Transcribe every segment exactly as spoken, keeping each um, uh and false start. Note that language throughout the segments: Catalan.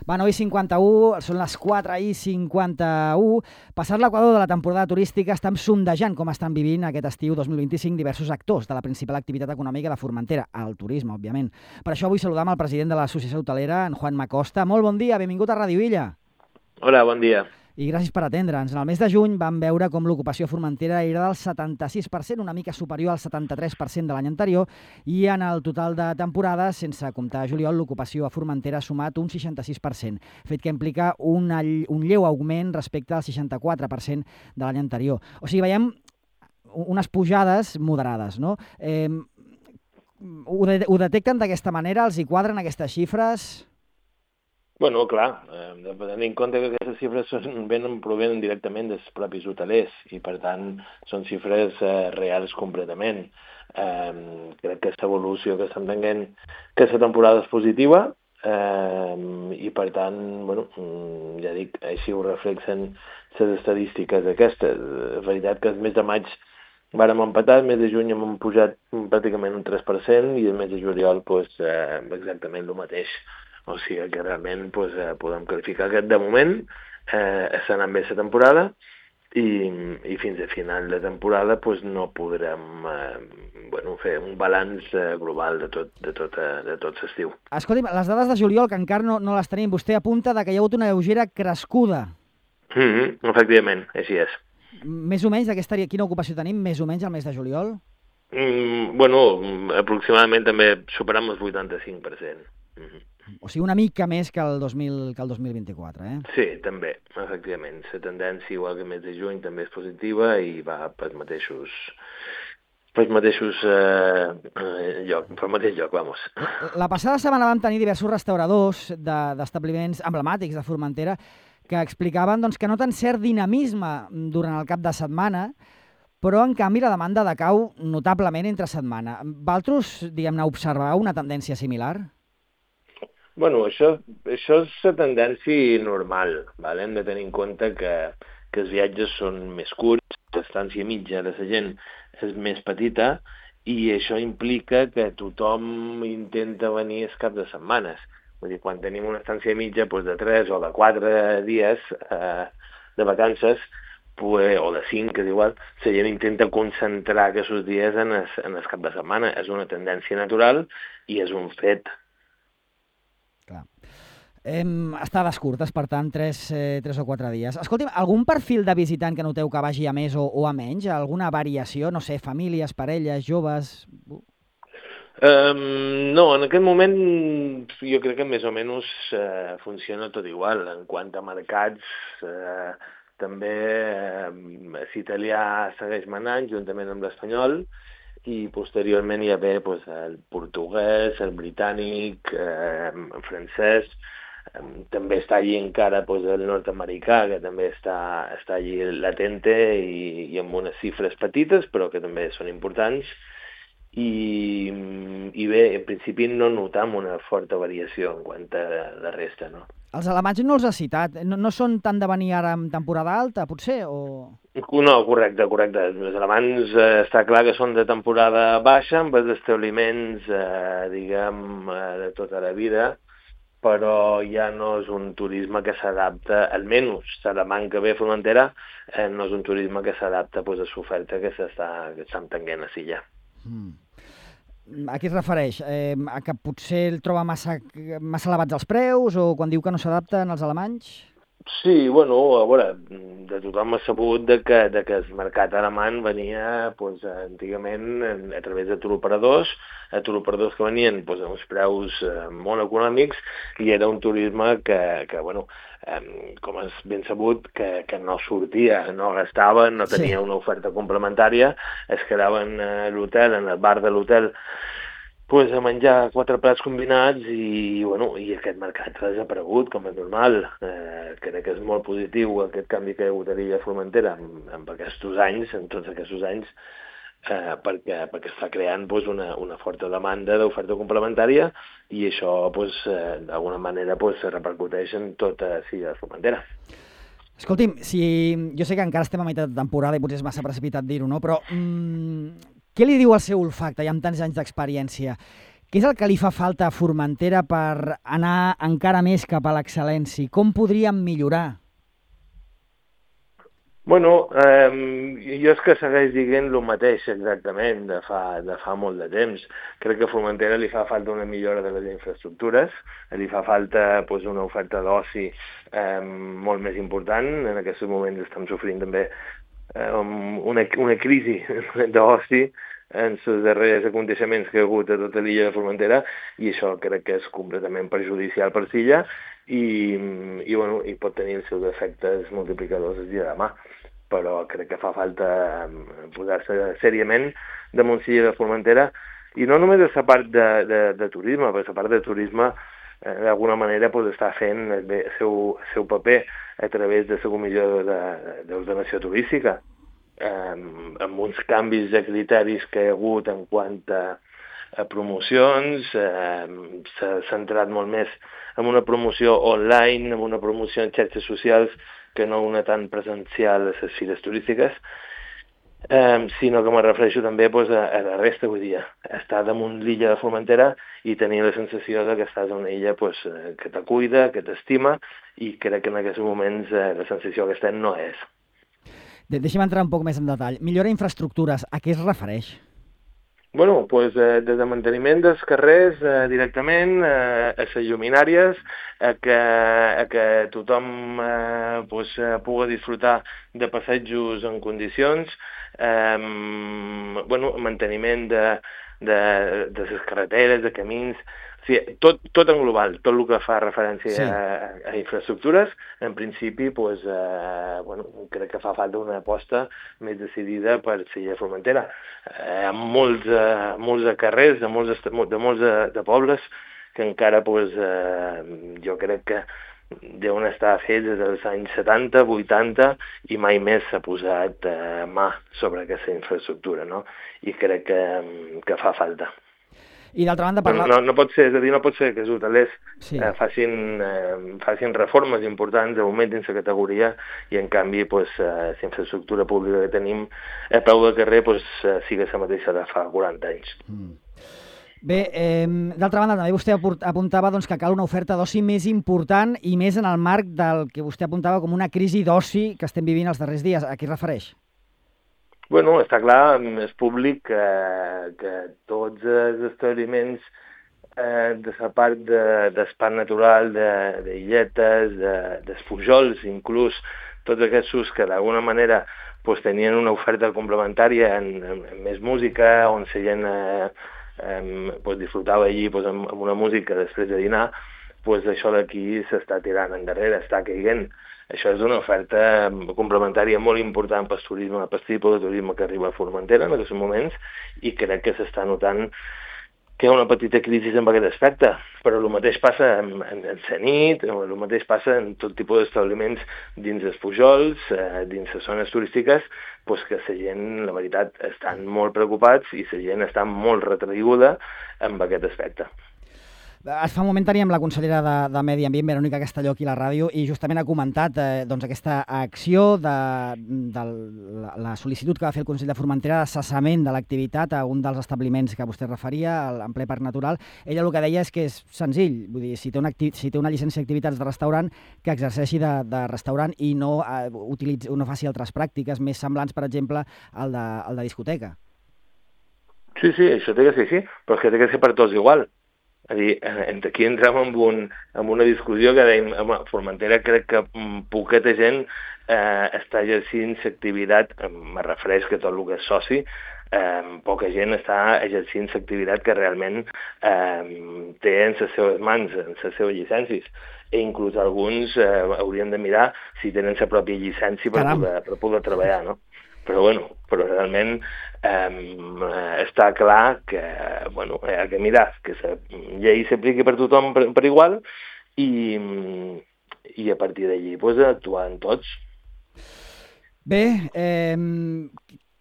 Va, nou i cinquanta-u, són les quatre i cinquanta-u. Passat l'equador de la temporada turística, estan sondejant com estan vivint aquest estiu dos mil vint-i-cinc diversos actors de la principal activitat econòmica de Formentera, el turisme, òbviament. Per això vull saludar el president de l'Associació Hotelera, en Juan Macosta. Molt bon dia, benvingut a Ràdio Illa. Hola, bon dia. I gràcies per atendre'ns. En el mes de juny vam veure com l'ocupació a Formentera era del setanta-sis per cent, una mica superior al setanta-tres per cent de l'any anterior, i en el total de temporada, sense comptar juliol, l'ocupació a Formentera ha sumat un seixanta-sis per cent, fet que implica un, un lleu augment respecte al seixanta-quatre per cent de l'any anterior. O sigui, veiem unes pujades moderades, no? Eh, ho, de, ho detecten d'aquesta manera? Els hi quadren aquestes xifres? Bueno, clar, eh, de tenir en compte que aquestes xifres són, venen, provenen directament dels propis hotelers i, per tant, són xifres eh, reals completament. Eh, crec que aquesta evolució que estem tenint aquesta temporada és positiva eh, i, per tant, bueno, ja dic, així ho reflexen les estadístiques aquestes. És veritat que el mes de maig vàrem empatar, el mes de juny hem pujat pràcticament un tres per cent i el mes de juliol pues, eh, exactament el mateix. O sigui que realment pues, eh, podem qualificar que de moment eh, està anant bé la temporada i, i fins a final de temporada pues, no podrem eh, bueno, fer un balanç eh, global de tot, de tot, eh, de tot l'estiu. Escolti'm, les dades de juliol, que encara no, no les tenim, vostè apunta de que hi ha hagut una lleugera crescuda. Mm-hmm, efectivament, així és. Més o menys, d'aquesta, quina ocupació tenim, més o menys al mes de juliol? Mm, bueno, aproximadament també superam el vuitanta-cinc per cent. Mm-hmm. O sigui, una mica més que el dos mil, que el dos mil vint-i-quatre, eh? Sí, també, efectivament. La tendència, igual que el mes de juny, també és positiva i va pels mateixos, pels mateixos eh, lloc, pel mateix lloc, vamos. La passada setmana vam tenir diversos restauradors d'establiments de, emblemàtics de Formentera que explicaven doncs, que noten cert dinamisme durant el cap de setmana, però, en canvi, la demanda decau notablement entre setmana. Valtros, diguem-ne, observau una tendència similar? Bueno, això, això és la tendència normal, ¿vale? Hem de tenir en compte que, que els viatges són més curts, l'estància mitja de la gent és més petita i això implica que tothom intenta venir els caps de setmanes. Vull dir, quan tenim una estància mitja doncs de tres o de quatre dies eh, de vacances, pues, o de cinc, que és igual, la gent intenta concentrar aquests dies en el, en el cap de setmana. És una tendència natural i és un fet. Clar. Eh, estades curtes, per tant, tres, eh, tres o quatre dies. Escolti'm, algun perfil de visitant que noteu que vagi a més o, o a menys? Alguna variació? No sé, famílies, parelles, joves... Um, no, en aquest moment jo crec que més o menys eh, funciona tot igual. En quant a mercats, eh, també eh, l'italià segueix manant juntament amb l'espanyol, i posteriorment hi ha bé pues, el portuguès, el britànic, eh, el francès, eh, també està allí encara pues, el nord-americà, que també està, està allí latente i, i amb unes xifres petites, però que també són importants. I, i bé, en principi no notam una forta variació en quant a la resta, no? Els alemanys no els ha citat. No, no són tant de venir ara en temporada alta, potser? O... No, correcte, correcte. Els alemanys eh, està clar que són de temporada baixa, amb els establiments, eh, diguem, eh, de tota la vida, però ja no és un turisme que s'adapta, almenys l'alemany que ve a Formentera, eh, no és un turisme que s'adapta pues, a l'oferta que s'està tenint a Silla. Mm. A què es refereix? Eh, a que potser el troba massa, massa elevats els preus o quan diu que no s'adapten els alemanys? Sí, bueno, a veure, de tothom ha sabut de que, de que el mercat alemany venia pues, antigament a través de turoperadors, a turoperadors que venien pues, a uns preus eh, molt econòmics i era un turisme que, que bueno, eh, com és ben sabut, que, que no sortia, no gastaven, no tenia sí. una oferta complementària, es quedaven a l'hotel, en el bar de l'hotel, pues, a menjar quatre plats combinats i, bueno, i aquest mercat ha desaparegut, com és normal. Eh, crec que és molt positiu aquest canvi que hi ha hagut a l'illa Formentera en, en aquests anys, en tots aquests anys, eh, perquè, perquè està creant pues, una, una forta demanda d'oferta complementària i això pues, eh, d'alguna manera pues, repercuteix en tota l'illa Formentera. Escolti'm, si... jo sé que encara estem a meitat de temporada i potser és massa precipitat dir-ho, no? Però... Mm... què li diu al seu olfacte, ja amb tants anys d'experiència? Què és el que li fa falta a Formentera per anar encara més cap a l'excel·lència? Com podríem millorar? Bueno, eh, jo és que segueix dient el mateix exactament de fa, de fa molt de temps. Crec que a Formentera li fa falta una millora de les infraestructures, li fa falta pues, una oferta d'oci eh, molt més important. En aquests moments estem sofrint també eh, una, una crisi d'oci en els darrers aconteixements que hi ha hagut a tota l'illa de Formentera, i això crec que és completament perjudicial per l'illa i, i, bueno, i pot tenir els seus efectes multiplicadors el dia de demà. Però crec que fa falta posar-se seriament damunt l'illa de Formentera, i no només a la part de, de, de turisme, perquè la part de turisme eh, d'alguna manera pues, està fent el seu, el seu paper a través de la Comissió d'Ordenació Turística, eh, amb uns canvis de criteris que hi ha hagut en quant a, a promocions, eh, s'ha centrat molt més en una promoció online, en una promoció en xarxes socials, que no una tan presencial a les fires turístiques, eh, sinó que me refereixo també pues, a, a la resta, vull dir, estar damunt l'illa de Formentera i tenir la sensació de que estàs en una illa pues, que te cuida, que t'estima, i crec que en aquests moments eh, la sensació que estem no és. De Deixa'm entrar un poc més en detall. Millora infraestructures, a què es refereix? Bueno, pues, eh, des de manteniment dels carrers eh, directament, eh, a les lluminàries, a que, a que tothom eh, pues, eh, pugui disfrutar de passejos en condicions, eh, bueno, manteniment de, de, de les carreteres, de camins, o sigui, tot, tot en global, tot el que fa referència sí. a, a infraestructures, en principi, pues, eh, bueno, crec que fa falta una aposta més decidida per l'illa de Formentera. Eh, amb molts, eh, molts de carrers, de molts, de, molts de, de pobles, que encara pues, eh, jo crec que deuen estar fets des dels anys setanta, vuitanta, i mai més s'ha posat eh, mà sobre aquesta infraestructura, no? I crec que, que fa falta. I d'altra banda, parlar... no, no, no pot ser, és a dir, no pot ser que els hotelers sí. eh, facin, eh, facin reformes importants, augmentin la categoria, i en canvi pues, eh, la infraestructura pública que tenim a peu del carrer pues, eh, sigui la mateixa de fa quaranta anys. Mm. Bé, eh, d'altra banda, també vostè apuntava doncs, que cal una oferta d'oci més important i més en el marc del que vostè apuntava com una crisi d'oci que estem vivint els darrers dies. A què es refereix? Bueno, està clar, és públic que, que tots els establiments eh, de la part de, del parc natural, d'illetes, de, de, dels pujols, inclús tots aquests ús que d'alguna manera pues, tenien una oferta complementària en, en, en més música, on la gent eh, eh, pues, disfrutava allí pues, amb, amb una música després de dinar, pues, això d'aquí s'està tirant endarrere, està caiguent. Això és una oferta complementària molt important pel turisme, pel tipus de turisme que arriba a Formentera en aquests moments, i crec que s'està notant que hi ha una petita crisi en aquest aspecte, però el mateix passa en, en, en la nit, el mateix passa en tot tipus d'establiments dins els pujols, eh, dins les zones turístiques, pues que la gent, la veritat, estan molt preocupats i la gent està molt retraiguda en aquest aspecte. Fa un moment teníem la consellera de, de Medi Ambient, Verònica Castelló, aquí a la ràdio, i justament ha comentat eh, doncs, aquesta acció de, de la, la sol·licitud que va fer el Consell de Formentera de cessament de l'activitat a un dels establiments que vostè referia, en ple parc natural. Ella el que deia és que és senzill, vull dir, si té una, si té una llicència d'activitats de restaurant, que exerceixi de, de restaurant i no, eh, utilitzi, no faci altres pràctiques més semblants, per exemple, al de, al de discoteca. Sí, sí, això té que ser així, però és que té que ser per tots igual. És a dir, aquí entrem en, un, en una discussió que dèiem, home, Formentera crec que poqueta gent eh, està exercint l'activitat, me refereix que tot el que és soci, eh, poca gent està exercint l'activitat que realment eh, té en les seves mans, en les seves llicències. I inclús alguns eh, haurien de mirar si tenen la pròpia llicència per poder, per poder treballar, no? Però, bueno, però realment eh, està clar que, bueno, hi ha que mirar que la llei s'apliqui per tothom per, per igual i, i a partir d'allí pues, actuar en tots. Bé, eh,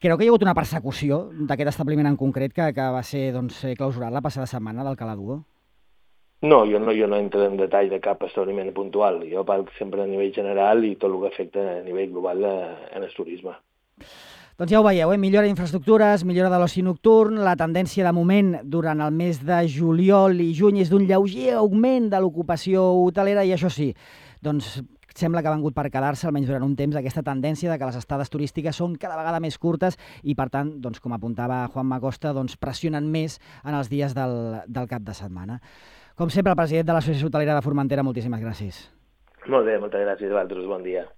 creu que hi ha hagut una persecució d'aquest establiment en concret que, que va ser doncs, clausurat la passada setmana del Cala Duo? No, jo no, jo no entro en detall de cap establiment puntual. Jo parlo sempre a nivell general i tot el que afecta a nivell global en el turisme. Doncs ja ho veieu, eh? Millora d'infraestructures, millora de l'oci nocturn, la tendència de moment durant el mes de juliol i juny és d'un lleuger augment de l'ocupació hotelera i això sí, doncs sembla que ha vengut per quedar-se, almenys durant un temps, aquesta tendència de que les estades turístiques són cada vegada més curtes i, per tant, doncs, com apuntava Juanma Costa, doncs, pressionen més en els dies del, del cap de setmana. Com sempre, el president de l'Associació Hotelera de Formentera, moltíssimes gràcies. Molt bé, moltes gràcies a vosaltres, bon dia.